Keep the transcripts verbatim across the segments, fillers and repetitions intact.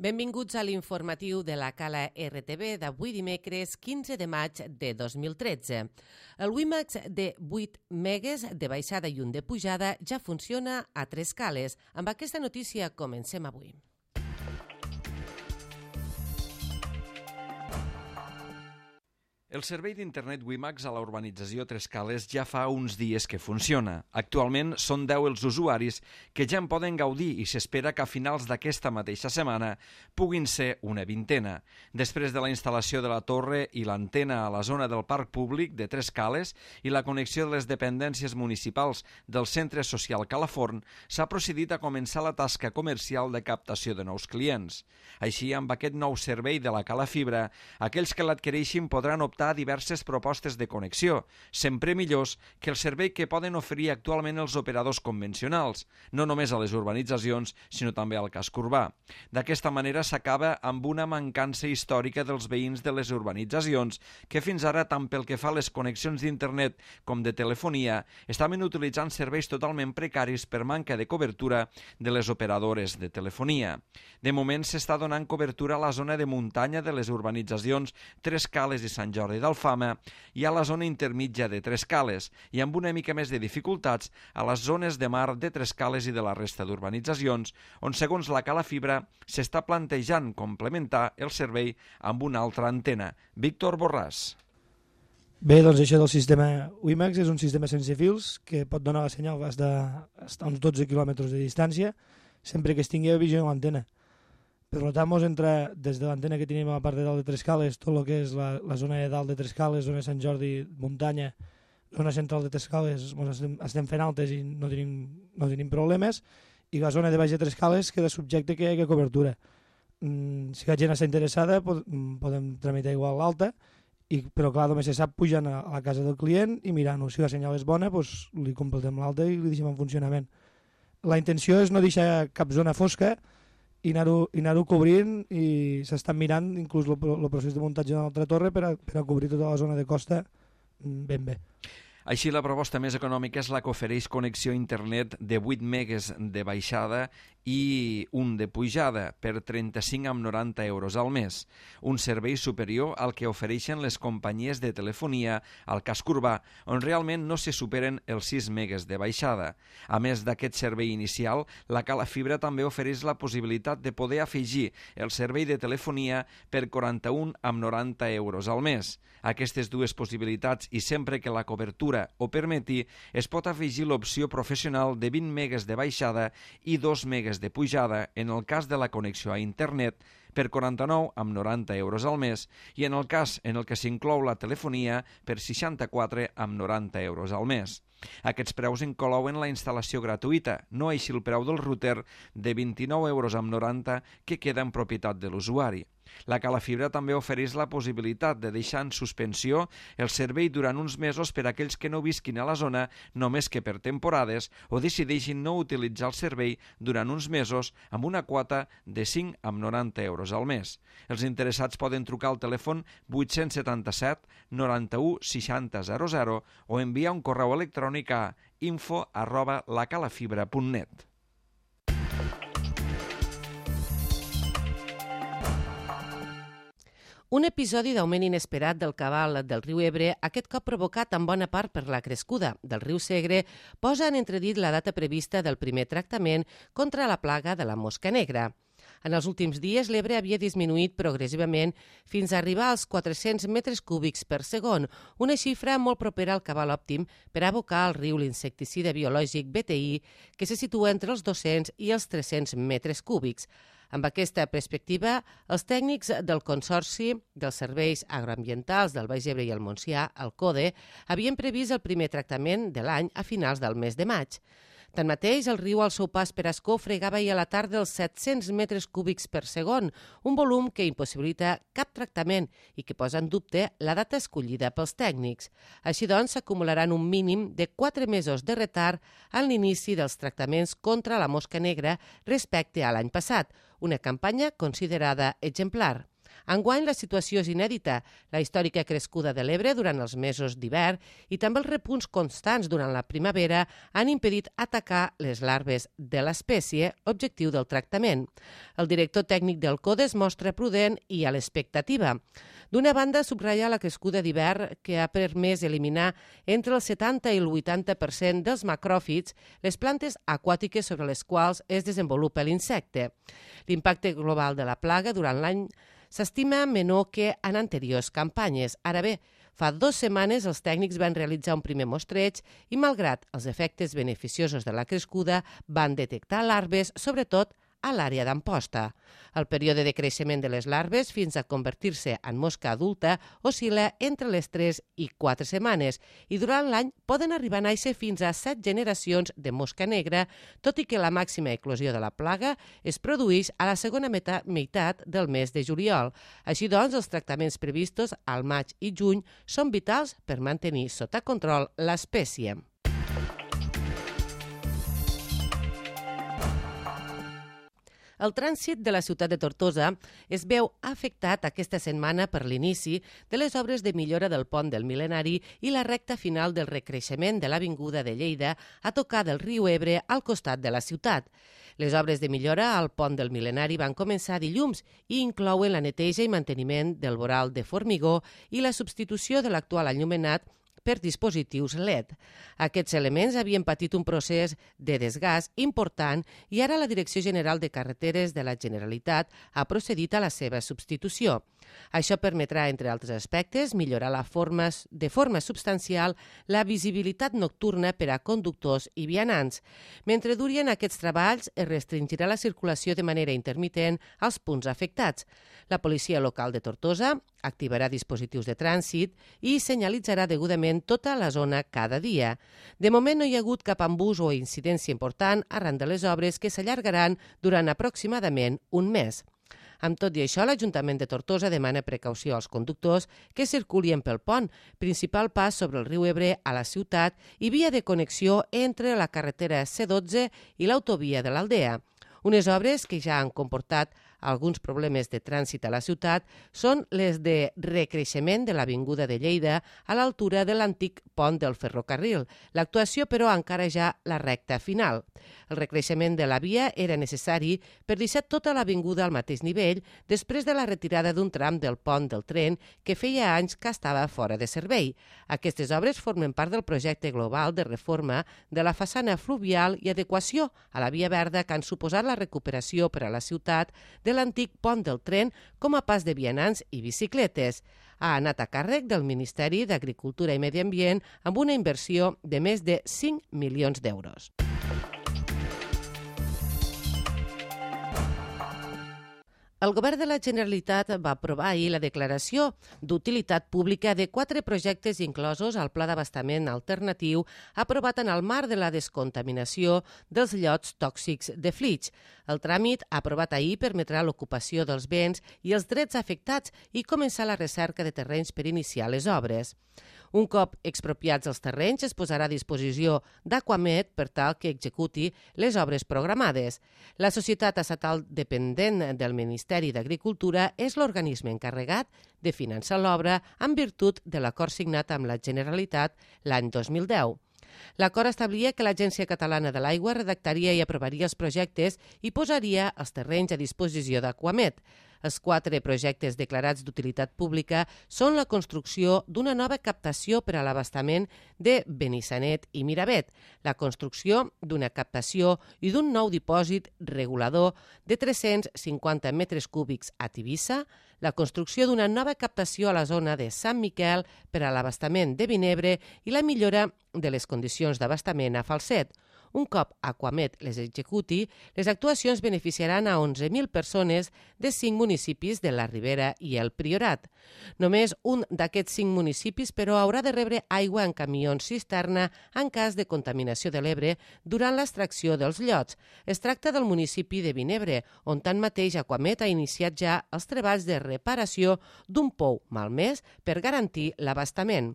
Benvinguts a l'informatiu de la Cala R T V d'avui dimecres quinze de maig de dos mil tretze. El WiMAX de vuit megues de baixada i un de pujada ja funciona a tres cales. Amb aquesta notícia comencem avui. El servei d'internet WiMAX a la urbanització Tres Cales ja fa uns dies que funciona. Actualment són deu els usuaris que ja en poden gaudir i s'espera que a finals d'aquesta mateixa setmana puguin ser una vintena. Després de la instal·lació de la torre i l'antena a la zona del parc públic de Tres Cales i la connexió de les dependències municipals del Centre Social Calaforn, s'ha procedit a començar la tasca comercial de captació de nous clients. Així, amb aquest nou servei de la Cala Fibra, aquells que l'adquireixin podran optar a diverses propostes de connexió, sempre millors que el servei que poden oferir actualment els operadors convencionals, no només a les urbanitzacions, sinó també al casc urbà. D'aquesta manera s'acaba amb una mancança històrica dels veïns de les urbanitzacions que fins ara, tant pel que fa a les connexions d'internet com de telefonia, estaven utilitzant serveis totalment precaris per manca de cobertura de les operadores de telefonia. De moment s'està donant cobertura a la zona de muntanya de les urbanitzacions Tres Cales i Sant Jordi d'Alfama i a la zona intermitja de Tres Cales i amb una mica més de dificultats a les zones de mar de Tres Cales i de la resta d'urbanitzacions, on segons la Cala Fibra s'està plantejant complementar el servei amb una altra antena. Víctor Borràs. Bé, doncs això del sistema WiMAX és un sistema sense fils que pot donar la senyal fins a uns dotze quilòmetres de distància sempre que es tingui visió en l'antena. Per tant, mos entra des de l'antena que tenim a la part de dalt de Tres Cales, tot el que és la, la zona de dalt de Tres Cales, zona de Sant Jordi, muntanya, zona central de Tres Cales, estem, estem fent altes i no tenim, no tenim problemes, i la zona de baix de Tres Cales queda subjecte que hi hagi cobertura. Mm, si la gent està interessada, pod podem tramitar igual l'alta, però clar, només se sap pujant a, a la casa del client i mirant-ho. Si la senyal és bona, doncs li completem l'alta i li deixem en funcionament. La intenció és no deixar cap zona fosca i anar-ho anar cobrint, i s'estan mirant inclús el procés de muntatge d'una altra torre per a, per a cobrir tota la zona de costa ben bé. Així, la proposta més econòmica és la que ofereix connexió a internet de vuit megues de baixada i un de pujada per trenta-cinc coma noranta euros al mes, un servei superior al que ofereixen les companyies de telefonia al casc urbà, on realment no se superen els sis megues de baixada. A més d'aquest servei inicial, la Cala Fibra també ofereix la possibilitat de poder afegir el servei de telefonia per quaranta-un coma noranta euros al mes. Aquestes dues possibilitats, i sempre que la cobertura ho permeti, es pot afegir l'opció professional de vint megues de baixada i dos megues de pujada en el cas de la connexió a internet per quaranta-nou coma noranta euros al mes i en el cas en el que s'inclou la telefonia per seixanta-quatre coma noranta euros al mes. Aquests preus inclouen la instal·lació gratuïta, no així el preu del router de vint-i-nou euros amb noranta que queda en propietat de l'usuari. La Cala Fibra també ofereix la possibilitat de deixar en suspensió el servei durant uns mesos per a aquells que no visquin a la zona només que per temporades o decideixin no utilitzar el servei durant uns mesos amb una quota de cinc coma noranta euros al mes. Els interessats poden trucar al telèfon vuit set set noranta-u seixanta zero zero o enviar un correu electrònic a info arroba lacalafibra punt net. Un episodi d'augment inesperat del cabal del riu Ebre, aquest cop provocat en bona part per la crescuda del riu Segre, posa en entredit la data prevista del primer tractament contra la plaga de la mosca negra. En els últims dies, l'Ebre havia disminuït progressivament fins a arribar als quatre-cents metres cúbics per segon, una xifra molt propera al cabal òptim per abocar al riu l'insecticida biològic B T I, que se situa entre els dos-cents i els tres-cents metres cúbics. Amb aquesta perspectiva, els tècnics del Consorci dels Serveis Agroambientals del Baix Ebre i el Montsià, el CODE, havien previst el primer tractament de l'any a finals del mes de maig. Tanmateix, el riu al seu pas per Ascó fregava ahir a la tarda els set-cents metres cúbics per segon, un volum que impossibilita cap tractament i que posa en dubte la data escollida pels tècnics. Així doncs, s'acumularan un mínim de quatre mesos de retard en l'inici dels tractaments contra la mosca negra respecte a l'any passat, una campanya considerada exemplar. Enguany la situació és inèdita, la històrica crescuda de l'Ebre durant els mesos d'hivern i també els repunts constants durant la primavera han impedit atacar les larves de l'espècie, objectiu del tractament. El director tècnic del CODE es mostra prudent i a l'expectativa. D'una banda, subratlla la crescuda d'hivern que ha permès eliminar entre el setanta i el vuitanta per cent dels macròfits, les plantes aquàtiques sobre les quals es desenvolupa l'insecte. L'impacte global de la plaga durant l'any s'estima menor que en anteriors campanyes. Ara bé, fa dues setmanes els tècnics van realitzar un primer mostreig i, malgrat els efectes beneficiosos de la crescuda, van detectar larves, sobretot a l'àrea d'Amposta. El període de creixement de les larves fins a convertir-se en mosca adulta oscil·la entre les tres i quatre setmanes i durant l'any poden arribar a néixer fins a set generacions de mosca negra, tot i que la màxima eclosió de la plaga es produeix a la segona meitat del mes de juliol. Així doncs, els tractaments previstos al maig i juny són vitals per mantenir sota control l'espècie. El trànsit de la ciutat de Tortosa es veu afectat aquesta setmana per l'inici de les obres de millora del pont del Mil·lenari i la recta final del recreixement de l'Avinguda de Lleida a tocar del riu Ebre al costat de la ciutat. Les obres de millora al pont del Mil·lenari van començar dilluns i inclouen la neteja i manteniment del voral de formigó i la substitució de l'actual enllumenat per dispositius L E D. Aquests elements havien patit un procés de desgast important i ara la Direcció General de Carreteres de la Generalitat ha procedit a la seva substitució. Això permetrà, entre altres aspectes, millorar la forma, de forma substancial la visibilitat nocturna per a conductors i vianants. Mentre durien aquests treballs, es restringirà la circulació de manera intermitent als punts afectats. La policia local de Tortosa activarà dispositius de trànsit i senyalitzarà degudament tota la zona cada dia. De moment no hi ha hagut cap embús o incidència important arran de les obres que s'allargaran durant aproximadament un mes. Amb tot i això, l'Ajuntament de Tortosa demana precaució als conductors que circulien pel pont, principal pas sobre el riu Ebre a la ciutat i via de connexió entre la carretera C dotze i l'autovia de l'Aldea. Unes obres que ja han comportat alguns problemes de trànsit a la ciutat són les de recreixement de l'Avinguda de Lleida a l'altura de l'antic pont del ferrocarril. L'actuació, però, encara ja la recta final. El recreixement de la via era necessari per deixar tota l'avinguda al mateix nivell després de la retirada d'un tram del pont del tren que feia anys que estava fora de servei. Aquestes obres formen part del projecte global de reforma de la façana fluvial i adequació a la via verda que han suposat la recuperació per a la ciutat de l'antic pont del tren com a pas de vianants i bicicletes. Ha anat a càrrec del Ministeri d'Agricultura i Medi Ambient amb una inversió de més de cinc milions d'euros. El Govern de la Generalitat va aprovar ahir la declaració d'utilitat pública de quatre projectes inclosos al Pla d'Abastament Alternatiu aprovat en el marc de la descontaminació dels llots tòxics de Flix. El tràmit aprovat ahir permetrà l'ocupació dels béns i els drets afectats i començar la recerca de terrenys per iniciar les obres. Un cop expropiats els terrenys, es posarà a disposició d'Aquamed per tal que executi les obres programades. La societat estatal dependent del Ministeri d'Agricultura és l'organisme encarregat de finançar l'obra en virtut de l'acord signat amb la Generalitat l'any dos mil deu. L'acord establia que l'Agència Catalana de l'Aigua redactaria i aprovaria els projectes i posaria els terrenys a disposició d'Aquamed. Els quatre projectes declarats d'utilitat pública són la construcció d'una nova captació per a l'abastament de Benissanet i Miravet, la construcció d'una captació i d'un nou dipòsit regulador de tres-cents cinquanta metres cúbics a Tivissa, la construcció d'una nova captació a la zona de Sant Miquel per a l'abastament de Vinebre i la millora de les condicions d'abastament a Falset. Un cop Aquamed les executi, les actuacions beneficiaran a onze mil persones de cinc municipis de la Ribera i el Priorat. Només un d'aquests cinc municipis, però, haurà de rebre aigua en camions cisterna en cas de contaminació de l'Ebre durant l'extracció dels llots. Es tracta del municipi de Vinebre, on tanmateix Aquamed ha iniciat ja els treballs de reparació d'un pou malmès per garantir l'abastament.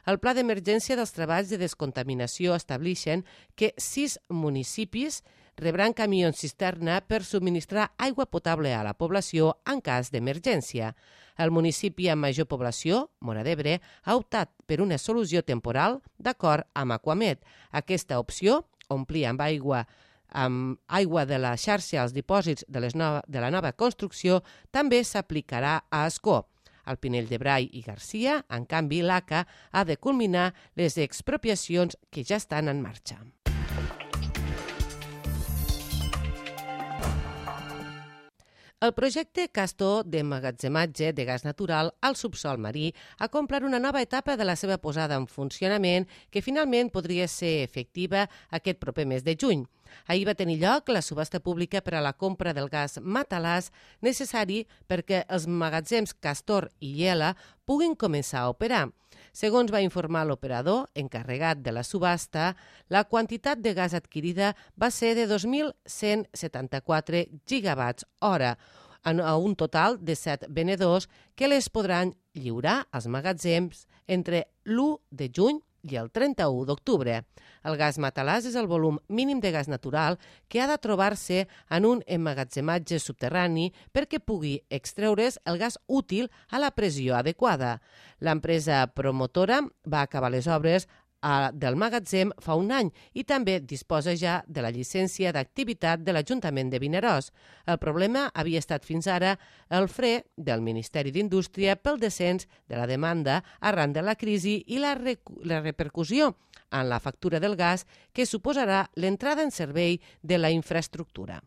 El pla d'emergència dels treballs de descontaminació establixen que sis municipis rebran camions cisterna per subministrar aigua potable a la població en cas d'emergència. El municipi amb major població, Móra d'Ebre, ha optat per una solució temporal d'acord amb Aquamet. Aquesta opció, omplir amb aigua amb aigua de la xarxa als dipòsits de, les nova, de la nova construcció, també s'aplicarà a Ascó. Al Pinell de Brai i Garcia, en canvi, l'A C A ha de culminar les expropiacions que ja estan en marxa. El projecte Castor d'emmagatzematge de gas natural al subsòl marí ha complert una nova etapa de la seva posada en funcionament que finalment podria ser efectiva aquest proper mes de juny. Ahir va tenir lloc la subhasta pública per a la compra del gas matalàs necessari perquè els magatzems Castor i Iela puguin començar a operar. Segons va informar l'operador encarregat de la subhasta, la quantitat de gas adquirida va ser de dos mil cent setanta-quatre gigawatts hora, a un total de set venedors que les podran lliurar als magatzems entre l'u de juny i el trenta-u d'octubre. El gas matalàs és el volum mínim de gas natural que ha de trobar-se en un emmagatzematge subterrani perquè pugui extreure's el gas útil a la pressió adequada. L'empresa promotora va acabar les obres del magatzem fa un any i també disposa ja de la llicència d'activitat de l'Ajuntament de Vinaròs. El problema havia estat fins ara el fre del Ministeri d'Indústria pel descens de la demanda arran de la crisi i la, la repercussió en la factura del gas que suposarà l'entrada en servei de la infraestructura.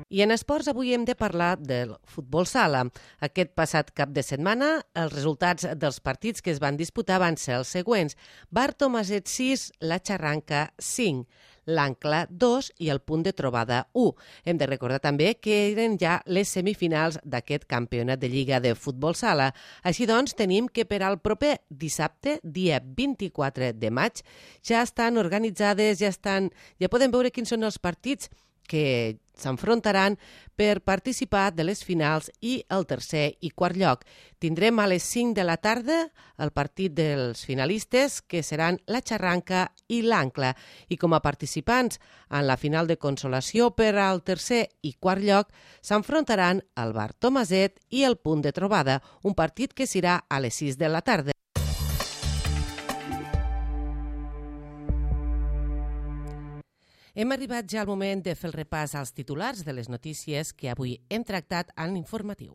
I en esports avui hem de parlar del futbol sala. Aquest passat cap de setmana els resultats dels partits que es van disputar van ser els següents. Bar Tomaset sis, La Xarranca cinc, l'Ancla dos i el Punt de Trobada u. Hem de recordar també que eren ja les semifinals d'aquest campionat de Lliga de futbol sala. Així doncs, tenim que per al proper dissabte, dia vint-i-quatre de maig, ja estan organitzades, ja estan, ja podem veure quins són els partits que s'enfrontaran per participar de les finals i el tercer i quart lloc. Tindrem a les cinc de la tarda el partit dels finalistes, que seran la Xarranca i l'Ancla. I com a participants en la final de consolació per al tercer i quart lloc s'enfrontaran el Bar Tomaset i el Punt de Trobada, un partit que serà a les sis de la tarda. Hem arribat ja al moment de fer el repàs als titulars de les notícies que avui hem tractat en l'informatiu.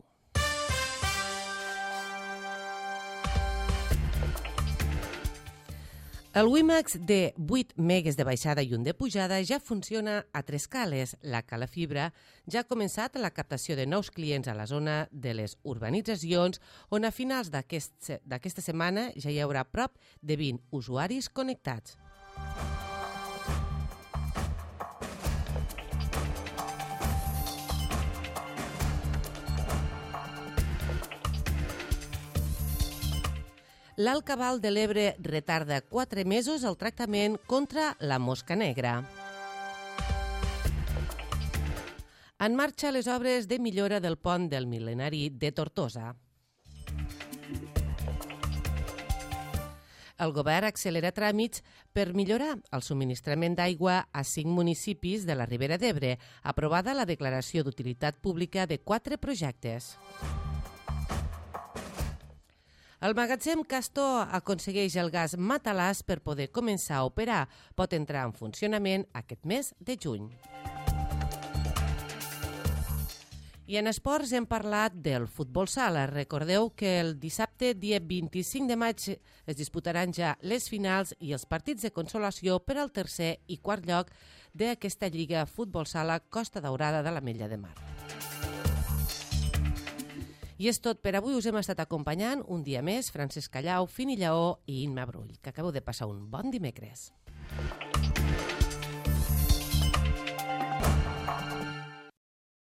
El WiMAX de vuit megues de baixada i un de pujada ja funciona a tres cales. La Cala Fibra ja ha començat la captació de nous clients a la zona de les urbanitzacions, on a finals d'aquesta setmana ja hi haurà prop de vint usuaris connectats. L'Alt Cabal de l'Ebre retarda quatre mesos el tractament contra la mosca negra. En marxa les obres de millora del pont del Mil·lenari de Tortosa. El govern accelera tràmits per millorar el subministrament d'aigua a cinc municipis de la Ribera d'Ebre, aprovada la declaració d'utilitat pública de quatre projectes. El magatzem Castor aconsegueix el gas matalàs per poder començar a operar. Pot entrar en funcionament aquest mes de juny. I en esports hem parlat del futbol sala. Recordeu que el dissabte, dia vint-i-cinc de maig, es disputaran ja les finals i els partits de consolació per al tercer i quart lloc d'aquesta Lliga Futbol Sala Costa Daurada de l'Ametlla de Mar. I és tot per avui. Us hem estat acompanyant un dia més Francesc Callau, Fini Lleó i Imma Brull. Que acabeu de passar un bon dimecres.